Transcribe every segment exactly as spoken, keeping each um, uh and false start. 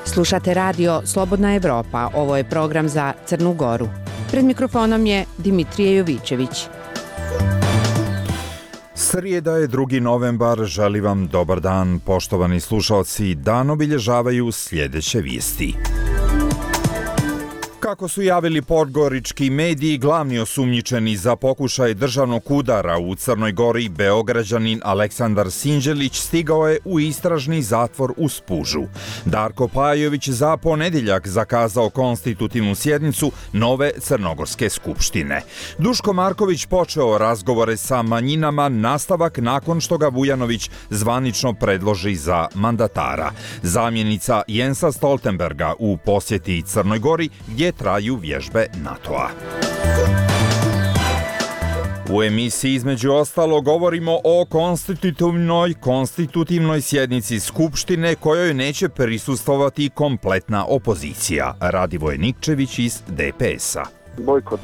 Slušate radio Slobodna Evropa, ovo je program za Crnu Goru. Pred mikrofonom je Dimitrije Jovićević. Srijeda je drugi novembar, želim vam dobar dan, poštovani slušalci, dan obilježavaju sljedeće vijesti. Kako su javili podgorički mediji, glavni osumnjičeni za pokušaj državnog udara u Crnoj Gori, Beograđanin Aleksandar Sinđelić, stigao je u istražni zatvor u Spužu. Darko Pajović za ponedjeljak zakazao konstitutivnu sjednicu nove Crnogorske skupštine. Duško Marković počeo razgovore sa manjinama, nastavak nakon što ga Vujanović zvanično predloži za mandatara. Zamjenica Jensa Stoltenberga u posjeti Crnoj Gori, gdje traju vježbe NATO-a. U emisiji između ostalo govorimo o konstitutivnoj konstitutivnoj sjednici Skupštine kojoj neće prisustvovati kompletna opozicija. Radivoje Nikčević iz D P S-a. Bojkot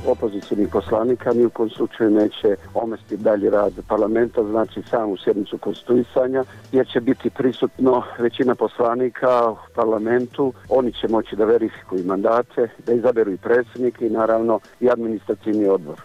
opozicijnih poslanika ni u kom slučaju neće omesti dalji rad parlamenta, znači samu sjednicu konstituisanja, jer će biti prisutno većina poslanika u parlamentu. Oni će moći da verifikuju mandate, da izaberu i predsjednike i naravno i administrativni odbor.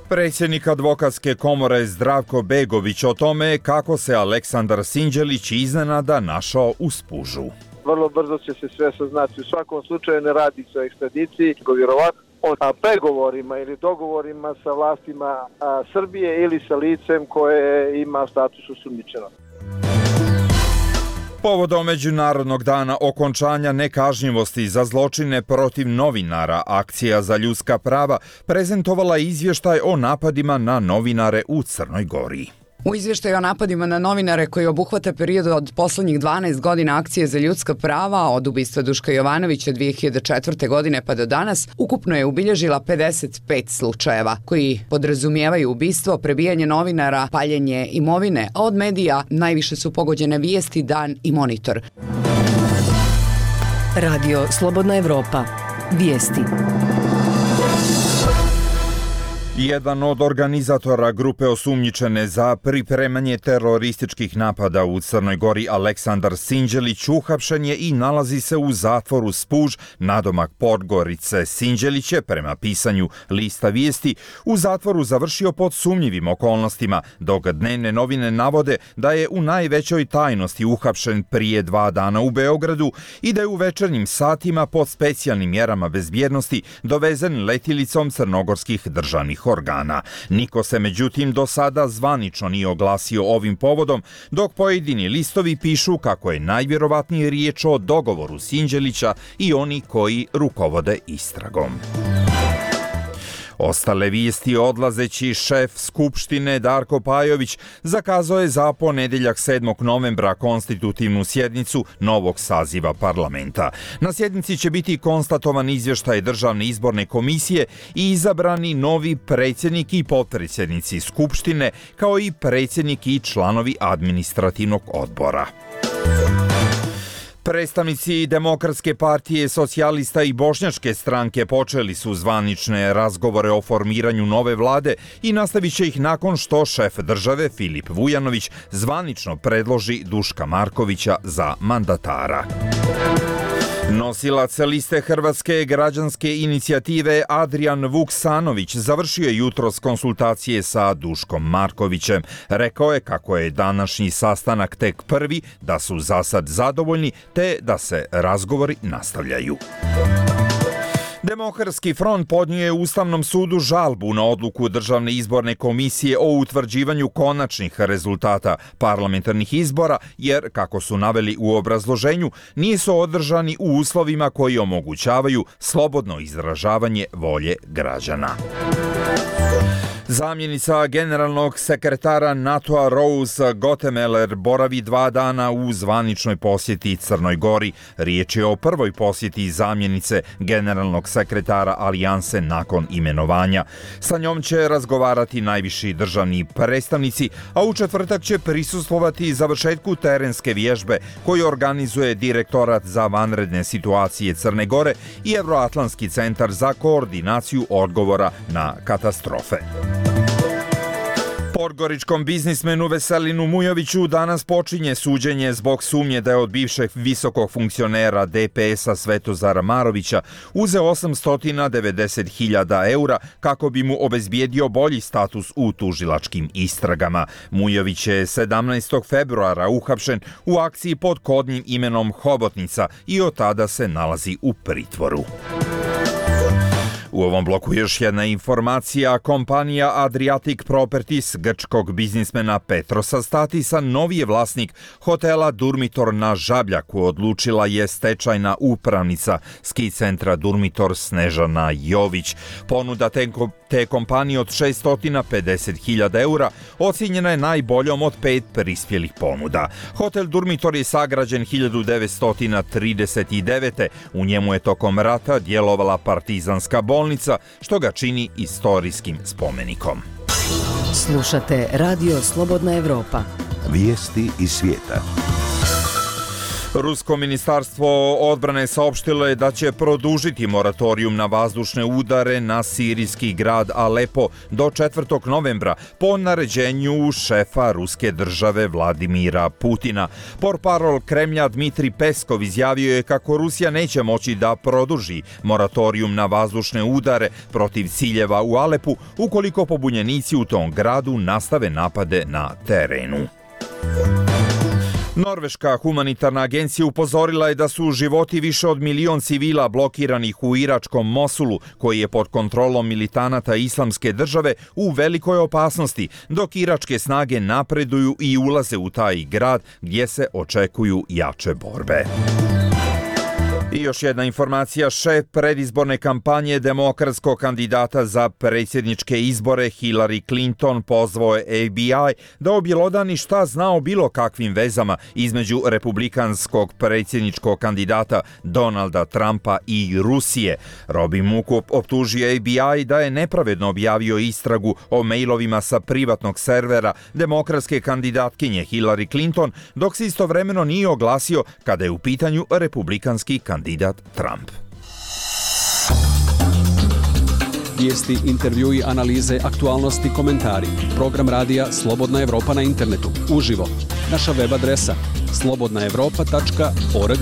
Predsjednik advokatske komore Zdravko Begović o tome kako se Aleksandar Sinđelić iznenada našao u Spužu. Vrlo brzo će se sve saznati. U svakom slučaju ne radi se o ekstradiciji, vjerovatno o pregovorima ili dogovorima sa vlastima a, Srbije ili sa licem koje ima status osumnjičenog. Povodom Međunarodnog dana okončanja nekažnjivosti za zločine protiv novinara, Akcija za ljudska prava prezentovala izvještaj o napadima na novinare u Crnoj Gori. U izvještaju o napadima na novinare koji obuhvata period od poslednjih dvanaest godina Akcije za ljudska prava, od ubistva Duška Jovanovića dvije hiljade četvrte. godine pa do danas, ukupno je ubilježila pedeset pet slučajeva, koji podrazumijevaju ubistvo, prebijanje novinara, paljenje imovine, a od medija najviše su pogođene Vijesti, Dan i Monitor. Radio Slobodna Evropa. Vijesti. Jedan od organizatora grupe osumnjičene za pripremanje terorističkih napada u Crnoj Gori, Aleksandar Sinđelić, uhapšen je i nalazi se u zatvoru Spuž, nadomak Podgorice. Sinđelić je, prema pisanju lista Vijesti, u zatvoru završio pod sumnjivim okolnostima, dok dnevne novine navode da je u najvećoj tajnosti uhapšen prije dva dana u Beogradu i da je u večernjim satima pod specijalnim mjerama bezbjednosti dovezen letjelicom crnogorskih državnih organa. Niko se međutim do sada zvanično nije oglasio ovim povodom, dok pojedini listovi pišu kako je najvjerovatnije riječ o dogovoru Sinđelića i oni koji rukovode istragom. Ostale vijesti: odlazeći šef Skupštine Darko Pajović zakazao je za ponedjeljak sedmog novembra konstitutivnu sjednicu novog saziva parlamenta. Na sjednici će biti konstatovan izvještaj Državne izborne komisije i izabrani novi predsjednik i potpredsjednici Skupštine, kao i predsjednik i članovi administrativnog odbora. Predstavnici Demokratske partije, Socijalista i Bošnjačke stranke počeli su zvanične razgovore o formiranju nove vlade i nastavit će ih nakon što šef države Filip Vujanović zvanično predloži Duška Markovića za mandatara. Nosilac liste Hrvatske građanske inicijative Adrian Vuksanović završio je jutros konsultacije sa Duškom Markovićem. Rekao je kako je današnji sastanak tek prvi, da su za sad zadovoljni te da se razgovori nastavljaju. Demokratski front podnio je Ustavnom sudu žalbu na odluku Državne izborne komisije o utvrđivanju konačnih rezultata parlamentarnih izbora, jer, kako su naveli u obrazloženju, nisu održani u uslovima koji omogućavaju slobodno izražavanje volje građana. Zamjenica generalnog sekretara NATO-a Rose Gottemoeller boravi dva dana u zvaničnoj posjeti Crnoj Gori. Riječ je o prvoj posjeti zamjenice generalnog sekretara Alijanse nakon imenovanja. Sa njom će razgovarati najviši državni predstavnici, a u četvrtak će prisustvovati završetku terenske vježbe koju organizuje Direktorat za vanredne situacije Crne Gore i Evroatlantski centar za koordinaciju odgovora na katastrofe. Podgoričkom biznismenu Veselinu Mujoviću danas počinje suđenje zbog sumnje da je od bivšeg visokog funkcionera D P S-a Svetozara Marovića uzeo osamsto devedeset hiljada eura kako bi mu obezbijedio bolji status u tužilačkim istragama. Mujović je sedamnaestog februara uhapšen u akciji pod kodnim imenom Hobotnica i od tada se nalazi u pritvoru. U ovom bloku još jedna informacija. Kompanija Adriatic Properties grčkog biznismena Petrosa Statisa, novi je vlasnik hotela Durmitor na Žabljaku, odlučila je stečajna upravnica ski centra Durmitor Snežana Jović. Ponuda te, te kompanije od šesto pedeset hiljada eura ocijenjena je najboljom od pet prispjelih ponuda. Hotel Durmitor je sagrađen hiljadu devetsto trideset devete. U njemu je tokom rata djelovala partizanska bolnica, što ga čini istorijskim spomenikom. Slušate Radio Slobodna Evropa. Vijesti iz svijeta. Rusko ministarstvo odbrane saopštilo je da će produžiti moratorijum na vazdušne udare na sirijski grad Alepo do četvrtog novembra po naređenju šefa ruske države Vladimira Putina. Portparol Kremlja Dmitri Peskov izjavio je kako Rusija neće moći da produži moratorijum na vazdušne udare protiv ciljeva u Alepu ukoliko pobunjenici u tom gradu nastave napade na terenu. Norveška humanitarna agencija upozorila je da su životi više od milion civila blokiranih u iračkom Mosulu, koji je pod kontrolom militanata Islamske države, u velikoj opasnosti, dok iračke snage napreduju i ulaze u taj grad gdje se očekuju jače borbe. I još jedna informacija, šef predizborne kampanje demokratskog kandidata za predsjedničke izbore Hillary Clinton pozvao je F B I da objelodani šta zna o bilo kakvim vezama između republikanskog predsjedničkog kandidata Donalda Trumpa i Rusije. Robin Mook optužio F B I da je nepravedno objavio istragu o mailovima sa privatnog servera demokratske kandidatkinje Hillary Clinton, dok se istovremeno nije oglasio kada je u pitanju republikanski kandidat Trump. Vijesti, intervjui, analize, aktualnosti, komentari. Program radija Slobodna Evropa na internetu. Uživo. Naša web adresa slobodna evropa tačka org.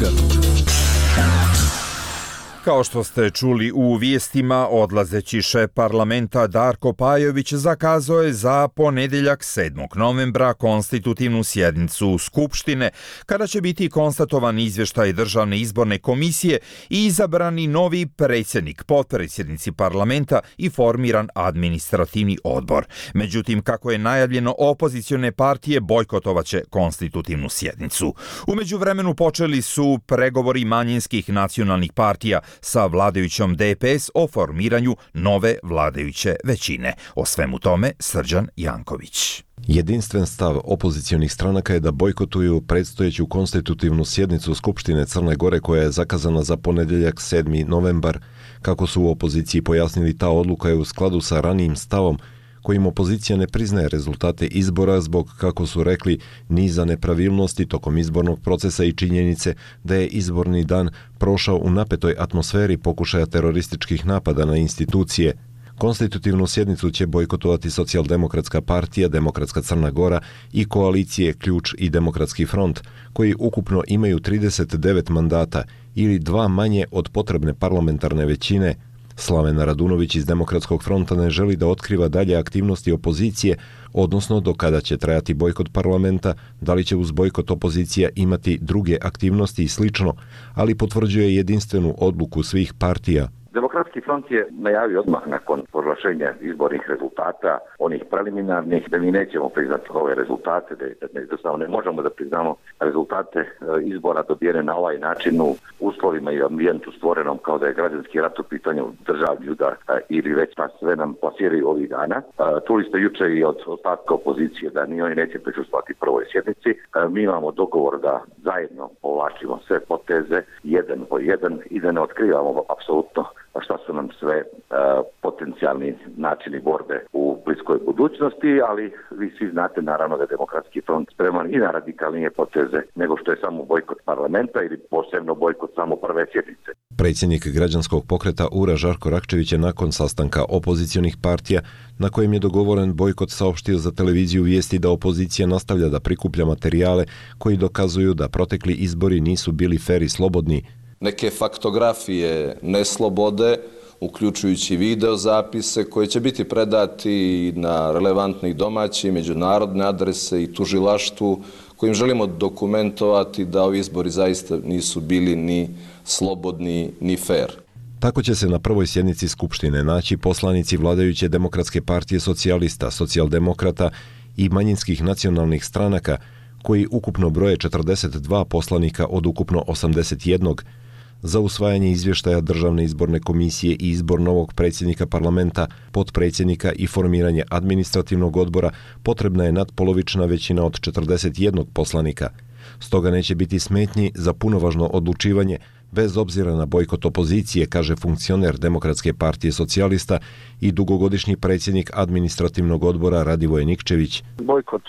Kao što ste čuli u vijestima, odlazeći šef parlamenta Darko Pajović zakazao je za ponedjeljak sedmog novembra konstitutivnu sjednicu Skupštine, kada će biti konstatovan izvještaj Državne izborne komisije i izabrani novi predsjednik, potpredsjednici parlamenta i formiran administrativni odbor. Međutim, kako je najavljeno, opozicione partije bojkotovaće konstitutivnu sjednicu. U međuvremenu počeli su pregovori manjinskih nacionalnih partija sa vladajućom D P S o formiranju nove vladajuće većine. O svemu tome Srđan Janković. Jedinstven stav opozicionih stranaka je da bojkotuju predstojeću konstitutivnu sjednicu Skupštine Crne Gore koja je zakazana za ponedjeljak sedmi novembar. Kako su u opoziciji pojasnili, ta odluka je u skladu sa ranijim stavom kojim opozicija ne priznaje rezultate izbora zbog, kako su rekli, niza nepravilnosti tokom izbornog procesa i činjenice da je izborni dan prošao u napetoj atmosferi pokušaja terorističkih napada na institucije. Konstitutivnu sjednicu će bojkotovati Socijaldemokratska partija, Demokratska Crna Gora i koalicije Ključ i Demokratski front, koji ukupno imaju trideset devet mandata ili dva manje od potrebne parlamentarne većine. Slaven Radunović iz Demokratskog fronta ne želi da otkriva dalje aktivnosti opozicije, odnosno do kada će trajati bojkot parlamenta, da li će uz bojkot opozicija imati druge aktivnosti i slično, ali potvrđuje jedinstvenu odluku svih partija. Demokratska Demokratski front je najavio odmah nakon proglašenja izbornih rezultata, onih preliminarnih, da mi nećemo priznati ove rezultate, da jednostavno ne možemo da priznamo rezultate izbora dobijene na ovaj način u uslovima i ambijentu stvorenom kao da je građanski rat u pitanju državni udar ili već pa sve nam plasiraju ovih dana. Čuli ste juče i od ostatka opozicije da ni oni neće prisustvovati prvoj sjednici. Mi imamo dogovor da zajedno povlačimo sve poteze, jedan po jedan i da ne otkrivamo apsolutno šta su nam sve uh, potencijalni načini borbe u bliskoj budućnosti, ali vi svi znate naravno da je Demokratski front spreman i na radikalnije poteze nego što je samo bojkot parlamenta ili posebno bojkot samo prve sjednice. Predsjednik građanskog pokreta U R A Žarko Rakčević je nakon sastanka opozicionih partija na kojem je dogovoren bojkot saopštio za televiziju vijesti da opozicija nastavlja da prikuplja materijale koji dokazuju da protekli izbori nisu bili fer i slobodni. Neke faktografije neslobode, uključujući video zapise koji će biti predati na relevantne i domaće i međunarodne adrese i tužilaštvu, kojim želimo dokumentovati da ovi izbori zaista nisu bili ni slobodni ni fer. Tako će se na prvoj sjednici Skupštine naći poslanici vladajuće Demokratske partije socijalista, socijaldemokrata i manjinskih nacionalnih stranaka, koji ukupno broje četrdeset dva poslanika od ukupno osamdeset jedan. Za usvajanje izvještaja Državne izborne komisije i izbor novog predsjednika parlamenta, potpredsjednika i formiranje administrativnog odbora potrebna je nadpolovična većina od četrdeset jedan poslanika. Stoga neće biti smetnji za punovažno odlučivanje bez obzira na bojkot opozicije, kaže funkcioner Demokratske partije socijalista i dugogodišnji predsjednik administrativnog odbora Radivoj Nikčević. Bojkot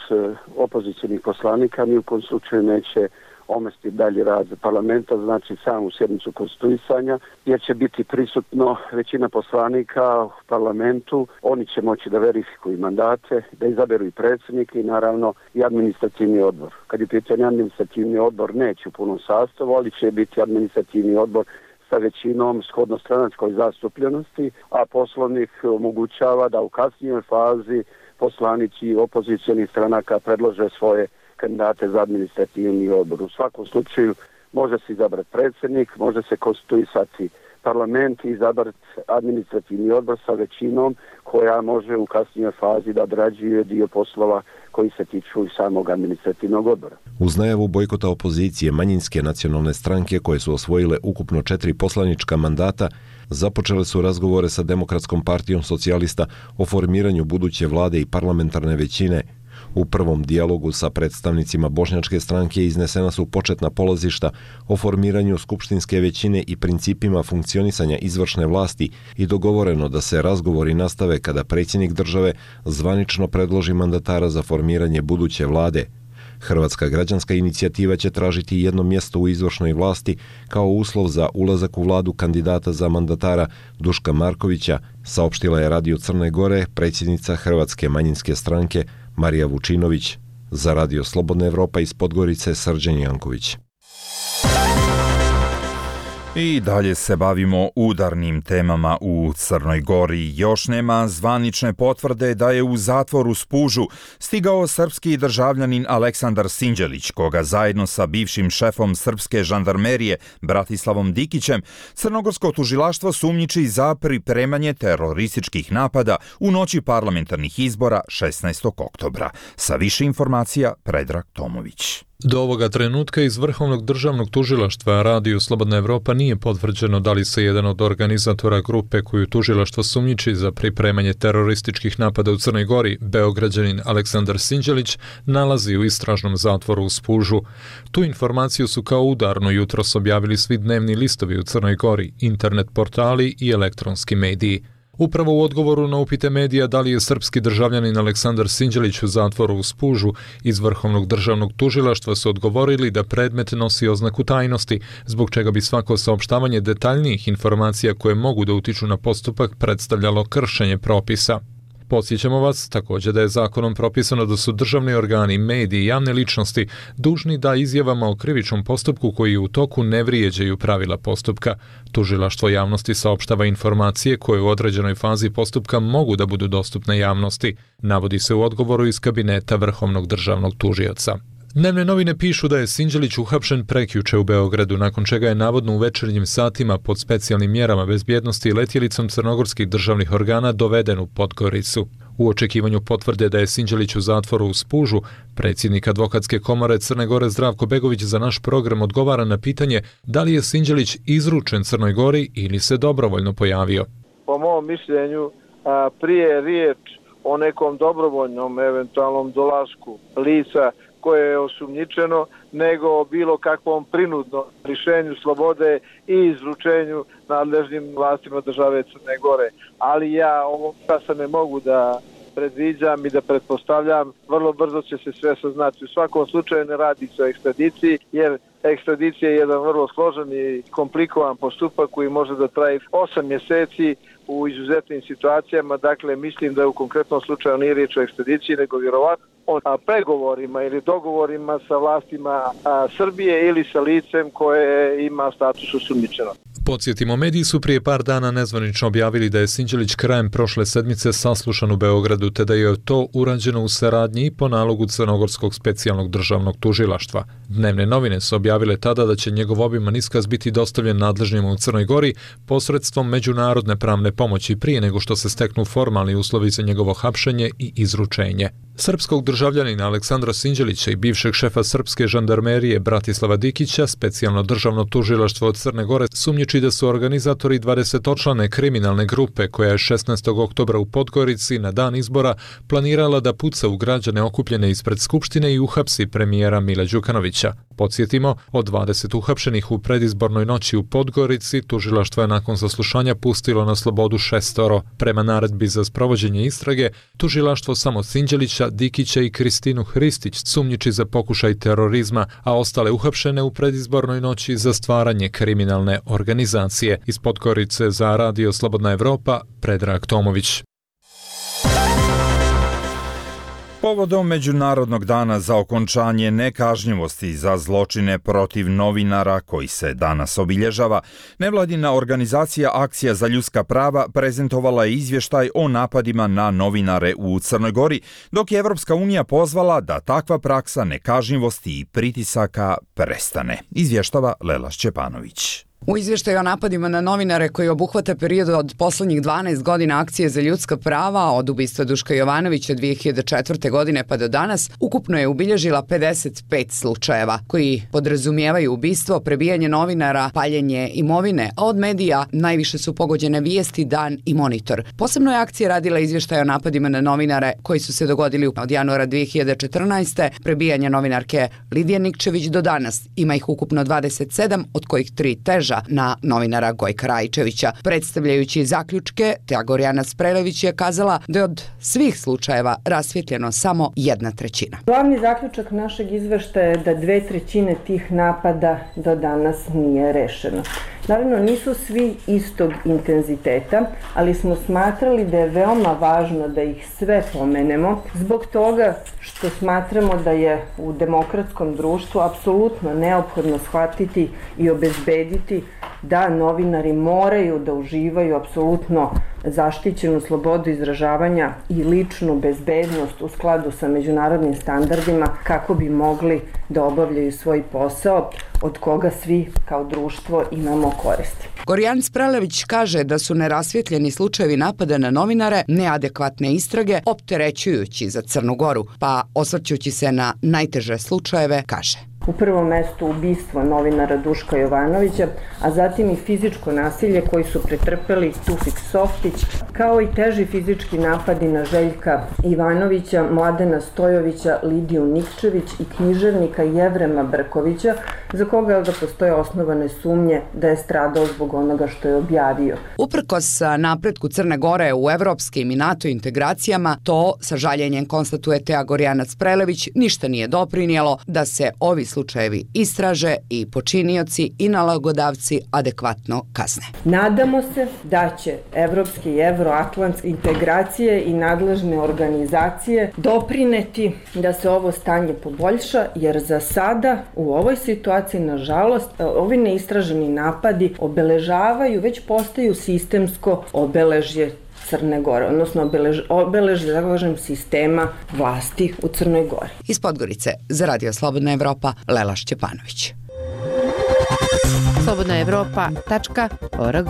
opozicijnih poslanika ni u kom slučaju neće omesti dalji rad parlamenta, znači samu sjednicu konstituisanja, jer će biti prisutno većina poslanika u parlamentu, oni će moći da verifikuju mandate, da izaberu i predsjednik i naravno i administrativni odbor. Kad je pitanje administrativni odbor, neće u punom sastavu, ali će biti administrativni odbor sa većinom shodno stranačkoj zastupljenosti, a poslovnik omogućava da u kasnijoj fazi poslanici opozicionih stranaka predlože svoje kandidate za administrativni odbor. U svakom slučaju može se izabrati predsjednik, može se konstituisati parlament i izabrati administrativni odbor sa većinom koja može u kasnijoj fazi da odrađuje dio poslova koji se tiču i samog administrativnog odbora. Uz najavu bojkota opozicije, manjinske nacionalne stranke koje su osvojile ukupno četiri poslanička mandata započele su razgovore sa Demokratskom partijom socijalista o formiranju buduće vlade i parlamentarne većine. U prvom dijalogu sa predstavnicima bošnjačke stranke iznesena su početna polazišta o formiranju skupštinske većine i principima funkcionisanja izvršne vlasti i dogovoreno da se razgovori nastave kada predsjednik države zvanično predloži mandatara za formiranje buduće vlade. Hrvatska građanska inicijativa će tražiti jedno mjesto u izvršnoj vlasti kao uslov za ulazak u vladu kandidata za mandatara Duška Markovića, saopštila je Radio Crne Gore predsjednica Hrvatske manjinske stranke Marija Vučinović. Za Radio Slobodna Evropa iz Podgorice Srđan Janković. I dalje se bavimo udarnim temama u Crnoj Gori. Još nema zvanične potvrde da je u zatvor u Spužu stigao srpski državljanin Aleksandar Sinđelić, koga zajedno sa bivšim šefom srpske žandarmerije Bratislavom Dikićem crnogorsko tužilaštvo sumnjiči za pripremanje terorističkih napada u noći parlamentarnih izbora šesnaestog oktobra. Sa više informacija Predrag Tomović. Do ovoga trenutka iz Vrhovnog državnog tužilaštva Radio Slobodna Evropa nije potvrđeno da li se jedan od organizatora grupe koju tužilaštvo sumnjiči za pripremanje terorističkih napada u Crnoj Gori, Beograđanin Aleksandar Sinđelić, nalazi u istražnom zatvoru u Spužu. Tu informaciju su kao udarno jutros objavili svi dnevni listovi u Crnoj Gori, internet portali i elektronski mediji. Upravo u odgovoru na upite medija da li je srpski državljanin Aleksandar Sinđelić u zatvoru u Spužu, iz Vrhovnog državnog tužilaštva su odgovorili da predmet nosi oznaku tajnosti, zbog čega bi svako saopštavanje detaljnijih informacija koje mogu da utiču na postupak predstavljalo kršenje propisa. Podsjećamo vas također da je zakonom propisano da su državni organi, mediji i javne ličnosti dužni da izjavama o krivičnom postupku koji u toku ne vrijeđaju pravila postupka. Tužilaštvo javnosti saopštava informacije koje u određenoj fazi postupka mogu da budu dostupne javnosti, navodi se u odgovoru iz kabineta Vrhovnog državnog tužioca. Dnevne novine pišu da je Sinđelić uhapšen prekjuče u Beogradu, nakon čega je navodno u večernjim satima pod specijalnim mjerama bezbjednosti i letjelicom crnogorskih državnih organa doveden u Podgoricu. U očekivanju potvrde da je Sinđelić u zatvoru u Spužu, predsjednik advokatske komore Crne Gore Zdravko Begović za naš program odgovara na pitanje da li je Sinđelić izručen Crnoj Gori ili se dobrovoljno pojavio. Po mom mišljenju, prije je riječ o nekom dobrovoljnom eventualnom dolasku lica koje je osumnjičeno, nego o bilo kakvom prinudnom lišenju slobode i izručenju nadležnim vlastima države Crne Gore. Ali ja ovog časa ne mogu da predviđam i da pretpostavljam, vrlo brzo će se sve saznati. U svakom slučaju ne radi se o ekstradiciji, jer ekstradicija je jedan vrlo složen i komplikovan postupak koji može da traje osam mjeseci u izuzetnim situacijama. Dakle, mislim da u konkretnom slučaju nije riječ o ekstradiciji, nego vjerovatno o pregovorima ili dogovorima sa vlastima a, Srbije ili sa licem koje ima status osumnjičenog. Podsjetimo, mediji su prije par dana nezvanično objavili da je Sinđelić krajem prošle sedmice saslušan u Beogradu, te da je to urađeno u saradnji i po nalogu Crnogorskog specijalnog državnog tužilaštva. Dnevne novine su objavile tada da će njegov obiman iskaz biti dostavljen nadležnjima u Crnoj Gori posredstvom međunarodne pravne pomoći prije nego što se steknu formalni uslovi za njegovo hapšenje i izručenje. Srpskog državljanina Aleksandra Sinđelića i bivšeg šefa srpske žandarmerije Bratislava Dikića specijalno državno tužilaštvo od Crne Gore sumnjiči da su organizatori dvadesetočlane kriminalne grupe koja je šesnaestog oktobra u Podgorici na dan izbora planirala da puca u građane okupljene ispred Skupštine i uhapsi premijera Mila Đukanovića. Podsjetimo, od dvadeset uhapšenih u predizbornoj noći u Podgorici, tužilaštvo je nakon saslušanja pustilo na slobodu šestoro. Prema naredbi za sprovođenje istrage, tužilaštvo samo Sinđelića, Dikića i Kristinu Hristić sumnjiči za pokušaj terorizma, a ostale uhapšene u predizbornoj noći za stvaranje kriminalne organizacije. Iz Podgorice za Radio Slobodna Evropa, Predrag Tomović. Povodom Međunarodnog dana za okončanje nekažnjivosti za zločine protiv novinara koji se danas obilježava, nevladina organizacija Akcija za ljudska prava prezentovala je izvještaj o napadima na novinare u Crnoj Gori, dok je Evropska unija pozvala da takva praksa nekažnjivosti i pritisaka prestane. Izvještava Lela Šćepanović. U izvještaju o napadima na novinare koji obuhvata period od poslednjih dvanaest godina Akcije za ljudska prava od ubistva Duška Jovanovića dvije hiljade četvrte. godine pa do danas, ukupno je ubilježila pedeset pet slučajeva koji podrazumijevaju ubistvo, prebijanje novinara, paljenje imovine, a od medija najviše su pogođene Vijesti, Dan i Monitor. Posebno je akcija radila izvještaj o napadima na novinare koji su se dogodili od januara dvije hiljade četrnaeste. prebijanje novinarke Lidije Nikčević do danas. Ima ih ukupno dvadeset sedam, od kojih tri teža na novinara Gojka Rajčevića. Predstavljajući zaključke, Teagorjana Sprelević je kazala da je od svih slučajeva rasvjetljeno samo jedna trećina. Glavni zaključak našeg izveštaja je da dve trećine tih napada do danas nije rešeno. Naravno, nisu svi istog intenziteta, ali smo smatrali da je veoma važno da ih sve pomenemo, zbog toga što smatramo da je u demokratskom društvu apsolutno neophodno shvatiti i obezbediti da novinari moraju da uživaju apsolutno zaštićenu slobodu izražavanja i ličnu bezbednost u skladu sa međunarodnim standardima kako bi mogli da obavljaju svoj posao od koga svi kao društvo imamo koristi. Gorjan Sprelević kaže da su nerasvjetljeni slučajevi napada na novinare neadekvatne istrage opterećujući za Crnu Goru, pa osvrćući se na najteže slučajeve kaže: U prvom mestu ubistvo novinara Duška Jovanovića, a zatim i fizičko nasilje koji su pretrpeli Tufik Softić, kao i teži fizički napadi na Željka Ivanovića, Mladena Stojovića, Lidiju Nikčević i književnika Jevrema Brkovića, za koga da postoje osnovane sumnje da je stradao zbog onoga što je objavio. Uprkos napretku Crne Gore u evropskim i NATO integracijama, to sa žaljenjem konstatuje Teagorjana Sprelević ništa nije doprinijelo da se ovi slučajevi istraže i počinioci i nalogodavci adekvatno kazne. Nadamo se da će evropske i evroatlantske integracije i nadležne organizacije doprineti da se ovo stanje poboljša, jer za sada u ovoj situaciji, nažalost, ovi neistraženi napadi obeležavaju, već postaju sistemsko obeležje Crne Gore, odnosno obelež, obelež da kažem, sistema vlasti u Crnoj Gori. Iz Podgorice za Radio Slobodna Evropa, Lela Šćepanović. slobodna evropa tačka org.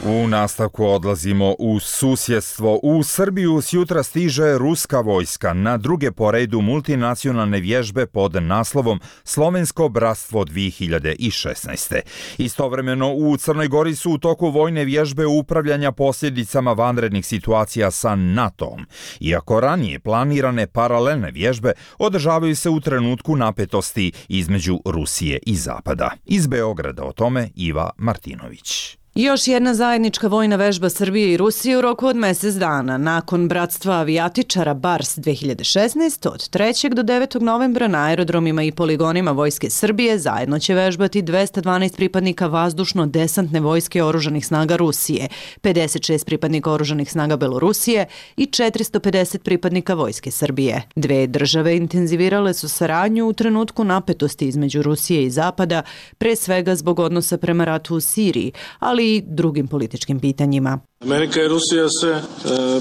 U nastavku odlazimo u susjedstvo. U Srbiju sjutra stiže ruska vojska na druge po redu multinacionalne vježbe pod naslovom Slovensko bratstvo dvije hiljade šesnaest. Istovremeno u Crnoj Gori su u toku vojne vježbe upravljanja posljedicama vanrednih situacija sa NATO-om. Iako ranije planirane paralelne vježbe održavaju se u trenutku napetosti između Rusije i Zapada. Iz Beograda o tome Iva Martinović. Još jedna zajednička vojna vežba Srbije i Rusije u roku od mjesec dana. Nakon bratstva avijatičara Bars dvije hiljade šesnaest od trećeg do devetog novembra na aerodromima i poligonima Vojske Srbije zajedno će vežbati dvesta dvanaest pripadnika vazdušno-desantne vojske oružanih snaga Rusije, pedeset šest pripadnika oružanih snaga Belorusije i četiristo pedeset pripadnika Vojske Srbije. Dve države intenzivirale su saradnju u trenutku napetosti između Rusije i Zapada, pre svega zbog odnosa prema ratu u Siriji, ali i drugim političkim pitanjima. Amerika i Rusija se e,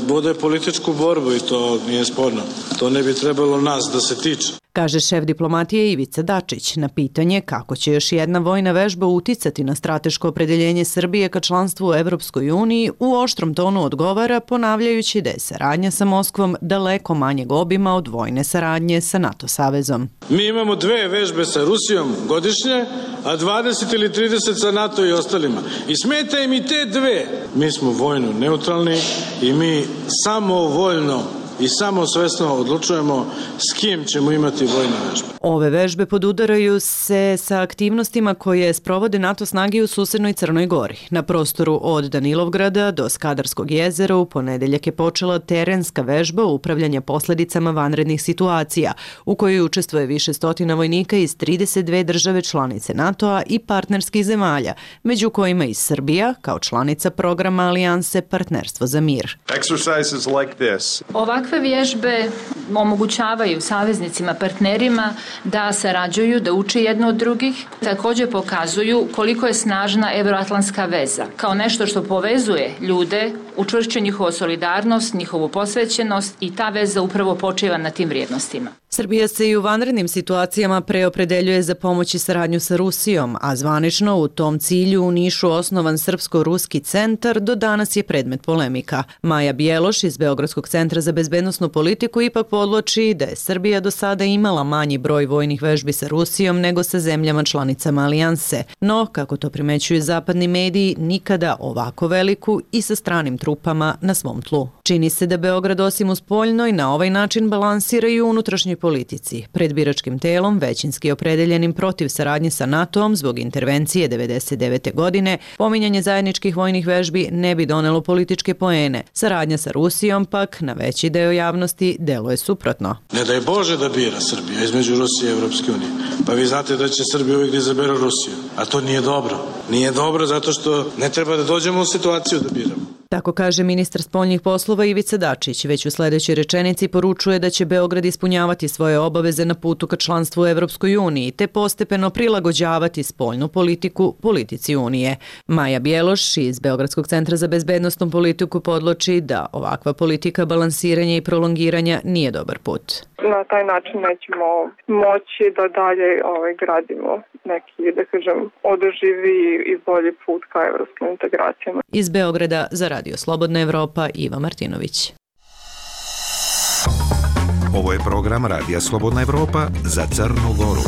vode političku borbu i to nije sporno. To ne bi trebalo nas da se tiče. Kaže šef diplomatije Ivica Dačić na pitanje kako će još jedna vojna vežba uticati na strateško opredeljenje Srbije ka članstvu u Evropskoj uniji, u oštrom tonu odgovara ponavljajući da je saradnja sa Moskvom daleko manjeg obima od vojne saradnje sa NATO savezom. Mi imamo dve vežbe sa Rusijom godišnje, a dvadeset ili trideset sa NATO i ostalima. I smeta im i te dve. Mi smo vojno neutralni i mi samovoljno i samosvesno odlučujemo s kim ćemo imati vojne vežbe. Ove vežbe podudaraju se sa aktivnostima koje sprovode NATO snage u susednoj Crnoj Gori. Na prostoru od Danilovgrada do Skadarskog jezera u ponedeljak je počela terenska vežba upravljanja posljedicama vanrednih situacija, u kojoj učestvuje više stotina vojnika iz trideset dve države članice NATO-a i partnerskih zemalja, među kojima i Srbija kao članica programa Alijanse Partnerstvo za mir. Exercises like this. Ovakve vježbe omogućavaju saveznicima, partnerima da sarađuju, da uče jedno od drugih. Također pokazuju koliko je snažna evroatlantska veza. Kao nešto što povezuje ljude, učvršćuje njihovu solidarnost, njihovu posvećenost i ta veza upravo počiva na tim vrijednostima. Srbija se i u vanrednim situacijama preopredeljuje za pomoć i saradnju sa Rusijom, a zvanično u tom cilju u Nišu osnovan Srpsko-ruski centar do danas je predmet polemika. Maja Bjeloš iz Beogradskog centra za bezbednosnu politiku ipak podvlači da je Srbija do sada imala manji broj vojnih vežbi sa Rusijom nego sa zemljama članicama Alijanse. No, kako to primećuju zapadni mediji, nikada ovako veliku i sa stranim trupama na svom tlu. Čini se da Beograd osim u spoljnoj na ovaj način balansira i u unutrašnjoj politici, pred biračkim telom većinski opredeljenim protiv saradnje sa NATO-om zbog intervencije devedeset devete. godine, pominjanje zajedničkih vojnih vežbi ne bi donelo političke poene. Saradnja sa Rusijom pak na veći deo javnosti deluje suprotno. Ne daj Bože da bira Srbija između Rusije i Evropske unije. Pa vi znate da će Srbija uvijek da izabere Rusiju. A to nije dobro. Nije dobro zato što ne treba da dođemo u situaciju da biramo. Tako kaže ministar spoljnih poslova Ivica Dačić. Već u sljedećoj rečenici poručuje da će Beograd ispunjavati svoje obaveze na putu ka članstvu u Evropskoj uniji te postepeno prilagođavati spoljnu politiku politici Unije. Maja Bjeloš iz Beogradskog centra za bezbednostnu politiku podloči da ovakva politika balansiranja i prolongiranja nije dobar put. Na taj način nećemo moći da dalje ovaj, gradimo neki, da kažem, održivi i bolji put ka evropskim integracijama. Iz Beograda za Radio Slobodna Evropa, Iva Martinović. Ovo je program Radija Slobodna Evropa za Crnu Goru.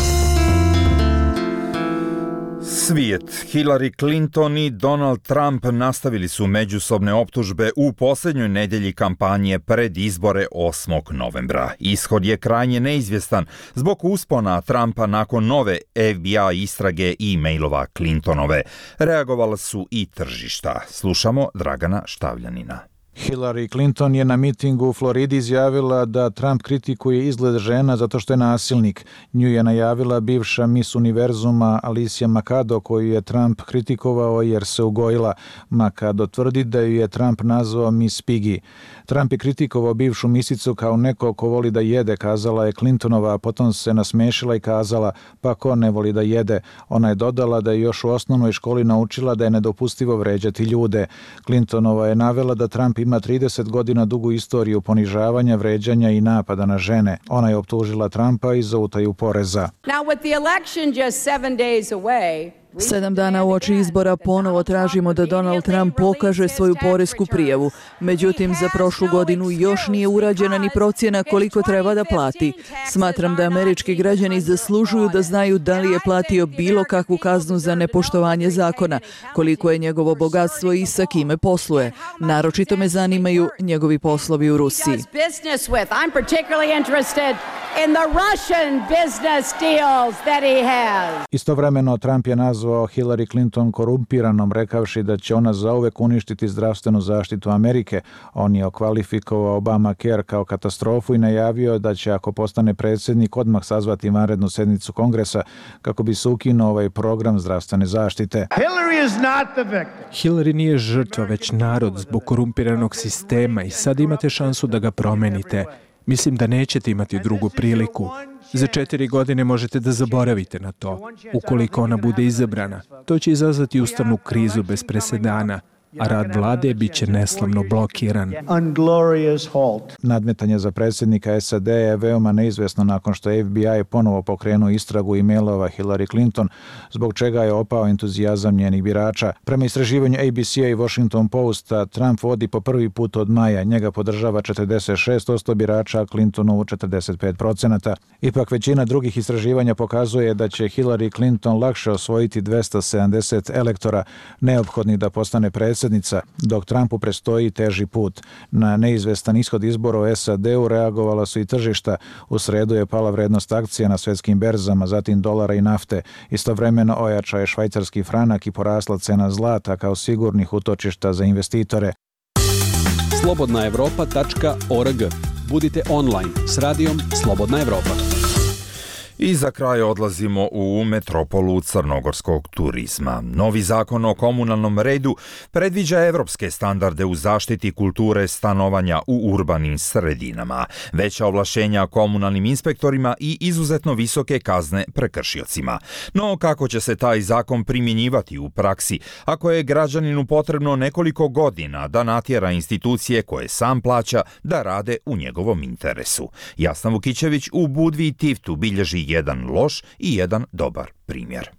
Svijet. Hillary Clinton i Donald Trump nastavili su međusobne optužbe u posljednjoj nedjelji kampanje pred izbore osmog novembra. Ishod je krajnje neizvjestan zbog uspona Trumpa nakon nove F B I istrage i mailova Clintonove. Reagovala su i tržišta. Slušamo Dragana Štavljanina. Hillary Clinton je na mitingu u Floridi izjavila da Trump kritikuje izgled žena zato što je nasilnik. Nju je najavila bivša Miss Univerzuma Alicia Makado, koju je Trump kritikovao jer se ugojila. Makado tvrdi da ju je Trump nazvao Miss Piggy. Trump je kritikovao bivšu misicu kao neko ko voli da jede, kazala je Clintonova, a potom se nasmešila i kazala, pa ko ne voli da jede. Ona je dodala da je još u osnovnoj školi naučila da je nedopustivo vređati ljude. Clintonova je navela da Trump ima trideset godina dugu istoriju ponižavanja, vređanja i napada na žene. Ona je optužila Trumpa i za utaju poreza. Now with the election just seven days away, Sedam dana uoči izbora ponovo tražimo da Donald Trump pokaže svoju poresku prijavu. Međutim, za prošlu godinu još nije urađena ni procjena koliko treba da plati. Smatram da američki građani zaslužuju da znaju da li je platio bilo kakvu kaznu za nepoštovanje zakona, koliko je njegovo bogatstvo i sa kime posluje. Naročito me zanimaju njegovi poslovi u Rusiji. I'm particularly interested in the Russian business deals that he has. Istovremeno Trump je nazvao Hillary Clinton korumpiranom, rekavši da će ona zauvek uništiti zdravstvenu zaštitu Amerike. On je okvalifikovao Obamacare kao katastrofu i najavio da će, ako postane predsjednik, odmah sazvati vanrednu sednicu Kongresa kako bi se ukinuo ovaj program zdravstvene zaštite. Hillary is not the victim. Hillary nije žrtva, već narod zbog korumpiranog sistema i sad imate šansu da ga promenite. Mislim da nećete imati drugu priliku. Za četiri godine možete da zaboravite na to. Ukoliko ona bude izabrana, to će izazvati ustavnu krizu bez presedana, a rad vlade bit će neslavno blokiran. Nadmetanje za predsjednika S A D je veoma neizvesno nakon što F B I ponovo pokrenuo istragu e-mailova Hillary Clinton, zbog čega je opao entuzijazam njenih birača. Prema istraživanju A B C-a i Washington Posta, Trump vodi po prvi put od maja. Njega podržava četrdeset šest posto birača, a Clintonovu četrdeset pet posto. Ipak većina drugih istraživanja pokazuje da će Hillary Clinton lakše osvojiti dvesta sedamdeset elektora neophodnih da postane predsjednik, dok Trumpu prestoji teži put. Na neizvestan ishod izbora u S A D-u reagovala su i tržišta. U sredu je pala vrednost akcija na svetskim berzama, zatim dolara i nafte. Istovremeno ojača je švajcarski franak i porasla cena zlata kao sigurnih utočišta za investitore. slobodna evropa tačka org. Budite online s radijom Slobodna Evropa. I za kraj odlazimo u metropolu crnogorskog turizma. Novi zakon o komunalnom redu predviđa evropske standarde u zaštiti kulture stanovanja u urbanim sredinama, veća ovlašćenja komunalnim inspektorima i izuzetno visoke kazne prekršiocima. No kako će se taj zakon primjenjivati u praksi ako je građaninu potrebno nekoliko godina da natjera institucije koje sam plaća da rade u njegovom interesu? Jasna Vukićević u Budvi i Tivtu bilježi jedan loš i jedan dobar primjer.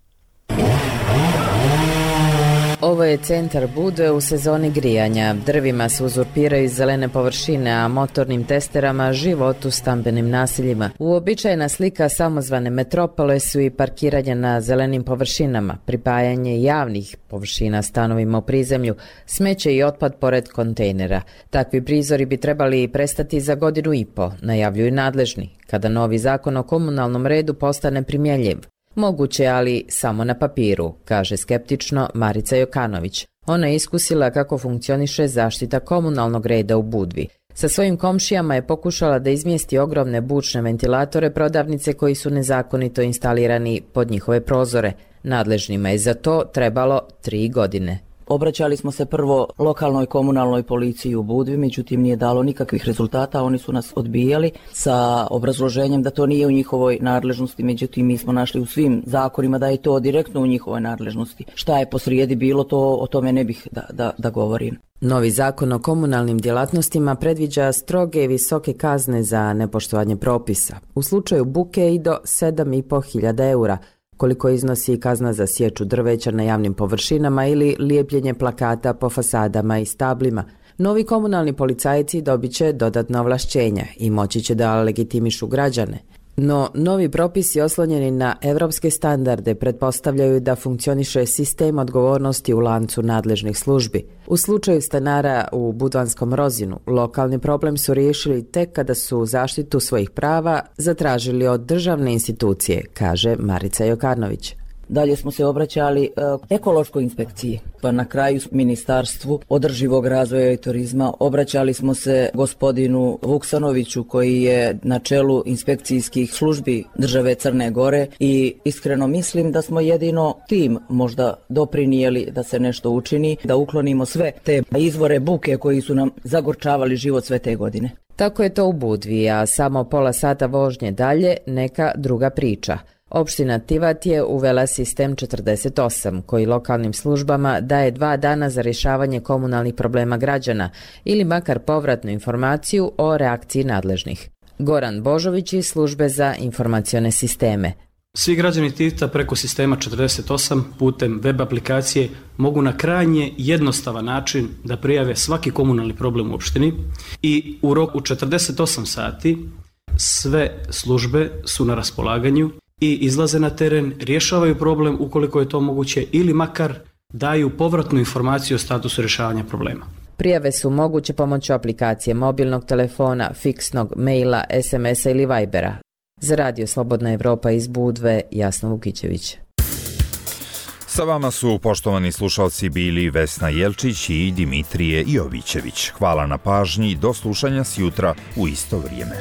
Ovo je centar Budve u sezoni grijanja. Drvima se uzurpiraju zelene površine, a motornim testerama život u stambenim naseljima. Uobičajena slika samozvane metropole su i parkiranje na zelenim površinama, pripajanje javnih površina stanovima u prizemlju, smeće i otpad pored kontejnera. Takvi prizori bi trebali prestati za godinu i po, najavljuju nadležni, kada novi zakon o komunalnom redu postane primjenjiv. Moguće, ali samo na papiru, kaže skeptično Marica Jokanović. Ona je iskusila kako funkcioniše zaštita komunalnog reda u Budvi. Sa svojim komšijama je pokušala da izmjesti ogromne bučne ventilatore prodavnice koji su nezakonito instalirani pod njihove prozore. Nadležnima je za to trebalo tri godine. Obraćali smo se prvo lokalnoj komunalnoj policiji u Budvi, međutim nije dalo nikakvih rezultata, oni su nas odbijali sa obrazloženjem da to nije u njihovoj nadležnosti, međutim mi smo našli u svim zakonima da je to direktno u njihovoj nadležnosti. Šta je posrijedi bilo, to o tome ne bih da, da, da govorim. Novi zakon o komunalnim djelatnostima predviđa stroge i visoke kazne za nepoštovanje propisa. U slučaju buke i do sedam i po hiljada eura, koliko iznosi kazna za sječu drveća na javnim površinama ili lijepljenje plakata po fasadama i stablima. Novi komunalni policajci dobit će dodatna ovlašćenja i moći će da legitimišu građane. No, novi propisi oslonjeni na evropske standarde pretpostavljaju da funkcioniše sistem odgovornosti u lancu nadležnih službi. U slučaju stanara u Budvanskom Rozinu, lokalni problem su riješili tek kada su zaštitu svojih prava zatražili od državne institucije, kaže Marica Jokanović. Dalje smo se obraćali e, ekološkoj inspekciji, pa na kraju Ministarstvu održivog razvoja i turizma. Obraćali smo se gospodinu Vuksanoviću koji je na čelu inspekcijskih službi države Crne Gore i iskreno mislim da smo jedino tim možda doprinijeli da se nešto učini, da uklonimo sve te izvore buke koji su nam zagorčavali život sve te godine. Tako je to u Budvi, a samo pola sata vožnje dalje neka druga priča. Opština Tivat je uvela sistem četrdeset osam, koji lokalnim službama daje dva dana za rješavanje komunalnih problema građana ili makar povratnu informaciju o reakciji nadležnih. Goran Božović iz službe za informacione sisteme. Svi građani Tivata preko sistema četrdeset osam putem web aplikacije mogu na krajnje jednostavan način da prijave svaki komunalni problem u opštini i u roku četrdeset osam sati sve službe su na raspolaganju i izlaze na teren, rješavaju problem ukoliko je to moguće ili makar daju povratnu informaciju o statusu rješavanja problema. Prijave su moguće pomoću aplikacije mobilnog telefona, fiksnog, maila, es em es-a ili Vibera. Za Radio Slobodna Evropa iz Budve, Jasna Vukićević. Sa vama su, poštovani slušalci, bili Vesna Jelčić i Dimitrije Jovićević. Hvala na pažnji, do slušanja sjutra u isto vrijeme.